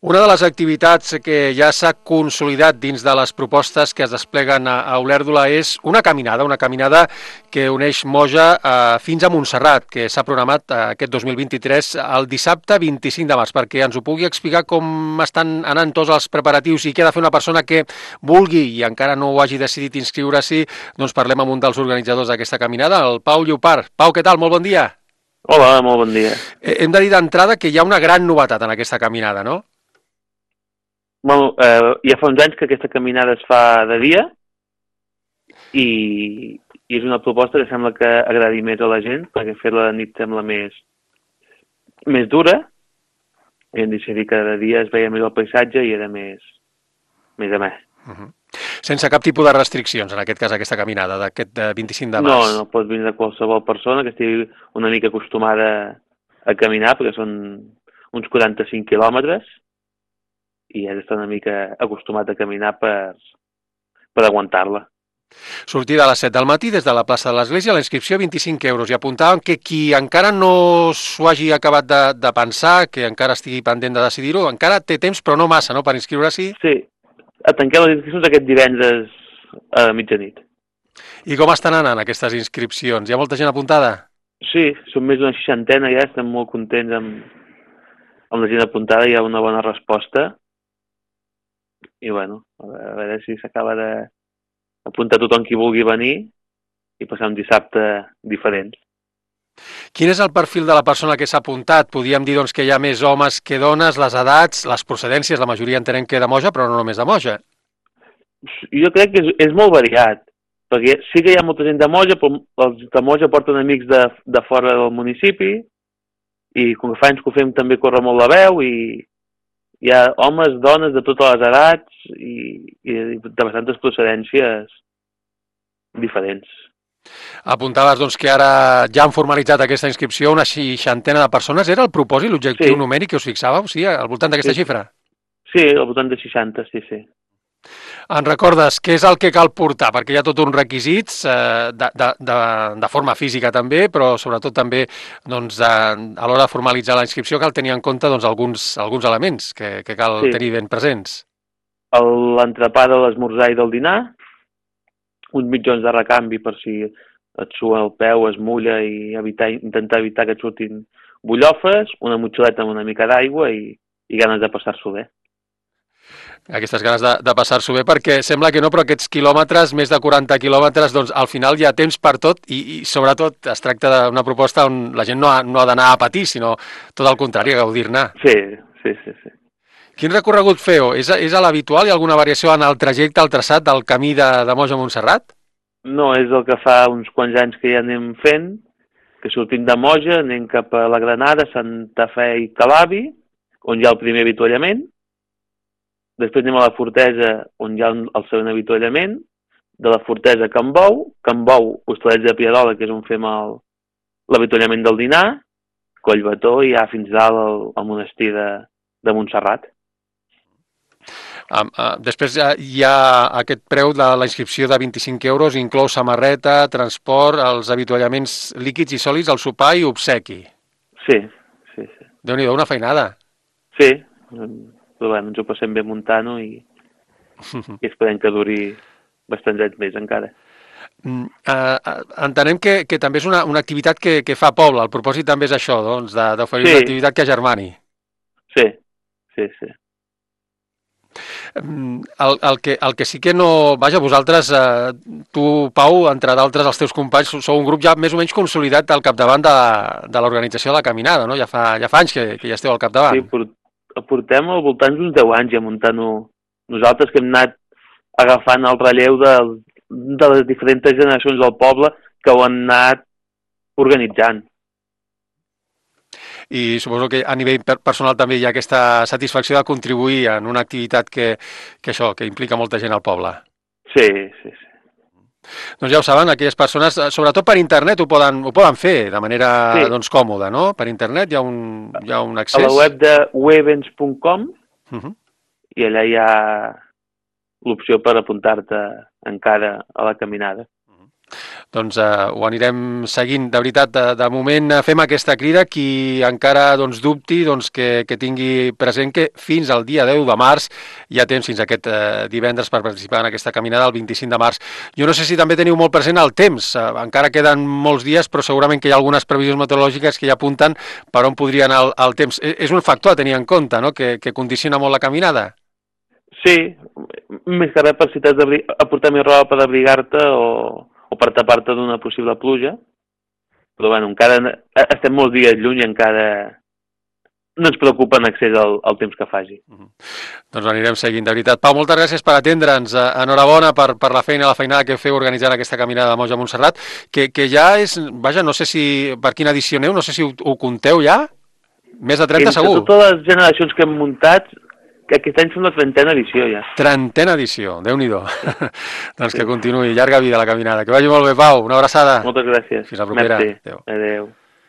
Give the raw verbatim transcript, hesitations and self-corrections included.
Una de les activitats que ja s'ha consolidat dins de les propostes que es despleguen a, a Olèrdola és una caminada, una caminada que uneix Moja eh, fins a Montserrat, que s'ha programat eh, aquest dos mil vint-i-tres el dissabte vint-i-cinc de març, perquè ens ho pugui explicar com estan anant tots els preparatius i què ha de fer una persona que vulgui i encara no ho hagi decidit inscriure-s'hi. Doncs parlem amb un dels organitzadors d'aquesta caminada, el Pau Llopart. Pau, què tal? Molt bon dia. Hola, molt bon dia. Eh, hem de dir d'entrada que hi ha una gran novetat en aquesta caminada, no? Bueno, eh, ja fa uns anys que aquesta caminada es fa de dia i, i és una proposta que sembla que agradi més a la gent, perquè fer-la de nit sembla més, més dura, i hem decidit que de dia es veia més el paisatge i era més, més amè. Uh-huh. Sense cap tipus de restriccions, en aquest cas, aquesta caminada d'aquest vint-i-cinc de març. No, no pot vindre qualsevol persona que estigui una mica acostumada a caminar, perquè són uns quaranta-cinc quilòmetres, i has d'estar una mica acostumat a caminar per, per aguantar-la. Sortida a les set del matí des de la plaça de l'Església, la inscripció vint-i-cinc euros. I apuntàvem que qui encara no s'ho hagi acabat de, de pensar, que encara estigui pendent de decidir-ho, encara té temps, però no massa, no?, per inscriure-s'hi. Sí, tanquem les inscripcions aquest divendres a mitjanit. I com estan anant aquestes inscripcions? Hi ha molta gent apuntada? Sí, són més d'una seixantena ja, estem molt contents amb, amb la gent apuntada, hi ha una bona resposta. I bueno, a veure si s'acaba d'apuntar tothom qui vulgui venir i passar un dissabte diferent. Quin és el perfil de la persona que s'ha apuntat? Podríem dir doncs, que hi ha més homes que dones, les edats, les procedències, la majoria entenem que de Moja, però no només de Moja. Jo crec que és, és molt variat, perquè sí que hi ha molta gent de Moja, però els de Moja porten amics de, de fora del municipi i com que fa anys que ho fem també corre molt la veu i hi ha homes, dones de totes les edats i, i de bastantes procedències diferents. Apuntaves doncs, que ara ja han formalitzat aquesta inscripció una seixantena de persones. Era el propòsit, l'objectiu sí. numèric que us fixàveu, sí, al voltant d'aquesta sí. xifra? Sí, al voltant de seixanta, sí, sí. En recordes què és el que cal portar? Perquè hi ha tot uns requisits eh, de, de, de, de forma física també, però sobretot també doncs, de, a l'hora de formalitzar la inscripció cal tenir en compte doncs, alguns, alguns elements que, que cal sí. tenir ben presents. L'entrepà de l'esmorzar i del dinar, uns mitjons de recanvi per si et sua el peu, es mulla i evitar, intentar evitar que et surtin bullofes, una motxileta amb una mica d'aigua i, i ganes de passar-s'ho bé. Aquestes ganes de, de passar-s'ho bé, perquè sembla que no, però aquests quilòmetres, més de quaranta quilòmetres, doncs al final hi ha temps per tot i, i sobretot es tracta d'una proposta on la gent no ha, no ha d'anar a patir, sinó tot el contrari, a gaudir-ne. Sí, sí, sí, sí. Quin recorregut feu? És, és a l'habitual? Hi ha alguna variació en el trajecte, el traçat del camí de, de Moja a Montserrat? No, és el que fa uns quants anys que ja anem fent, que sortim de Moja, anem cap a la Granada, Santa Fe i Calabi, on hi ha el primer avituallament. Després anem a la Fortesa, on hi ha el segon avituallament, de la Fortesa a Can Bou, Can Bou, Hostalets de Pierola, que és on fem l'avituallament del dinar, Collbató i ja fins dalt al, al monestir de, de Montserrat. Um, uh, després uh, hi ha aquest preu de la inscripció de vint-i-cinc euros, inclou samarreta, transport, els avituallaments líquids i sòlids, el sopar i obsequi. Sí, sí, sí. Déu-n'hi-do, una feinada. Sí, però bueno, ens ho passem bé muntant-ho i, i esperem que duri bastants anys més encara. Uh, uh, entenem que, que també és una, una activitat que, que fa poble. El propòsit també és això, doncs, d'oferir sí. una activitat que agermani. Sí, sí, sí. El, el, que, el que sí que no... Vaja, vosaltres, eh, tu, Pau, entre d'altres, els teus companys, sou un grup ja més o menys consolidat al capdavant de, de l'organització de la caminada, no? Ja fa, ja fa anys que, que ja esteu al capdavant. Sí, portem al voltant d'uns deu anys ja muntant-ho nosaltres, que hem anat agafant el relleu de, de les diferents generacions del poble que ho han anat organitzant. I suposo que a nivell personal també hi ha aquesta satisfacció de contribuir en una activitat que, que això, que implica molta gent al poble. Sí, sí, sí. Doncs ja ho saben, aquelles persones, sobretot per internet, ho poden, ho poden fer de manera sí. doncs, còmoda, no? Per internet hi ha un, hi ha un accés. A la web de webens punt com uh-huh. i allà hi ha l'opció per apuntar-te encara a la caminada. Doncs uh, ho anirem seguint. De veritat, de, de moment fem aquesta crida. Qui encara doncs, dubti, doncs, que, que tingui present que fins al dia deu de març hi ha temps, fins aquest uh, divendres, per participar en aquesta caminada el vint-i-cinc de març. Jo no sé si també teniu molt present el temps. Uh, encara queden molts dies, però segurament que hi ha algunes previsions meteorològiques que ja apunten per on podria anar el, el temps. És un factor a tenir en compte, no?, que, que condiciona molt la caminada. Sí, més que res per si t'has de portar més roba per abrigar-te o, o per tapar-te d'una possible pluja. Però bueno, encara estem molts dies lluny i encara no ens preocupa en accés al, al temps que faci. Mm-hmm. Doncs anirem seguint, de veritat. Pau, moltes gràcies per atendre'ns. Enhorabona per, per la feina, la feinada que feu organitzant aquesta caminada de Moja a Montserrat, que, que ja és, vaja, no sé si per quina edició aneu, no sé si ho, ho compteu ja, més de trenta Entre segur. Entre totes les generacions que hem muntat, que aquest any som la trentena edició ja. Trentena edició, Déu-n'hi-do. Doncs sí. Que continuï, llarga vida la caminada. Que vagi molt bé, Pau, una abraçada. Moltes gràcies. Fins la propera. Merci. Adéu. Adéu.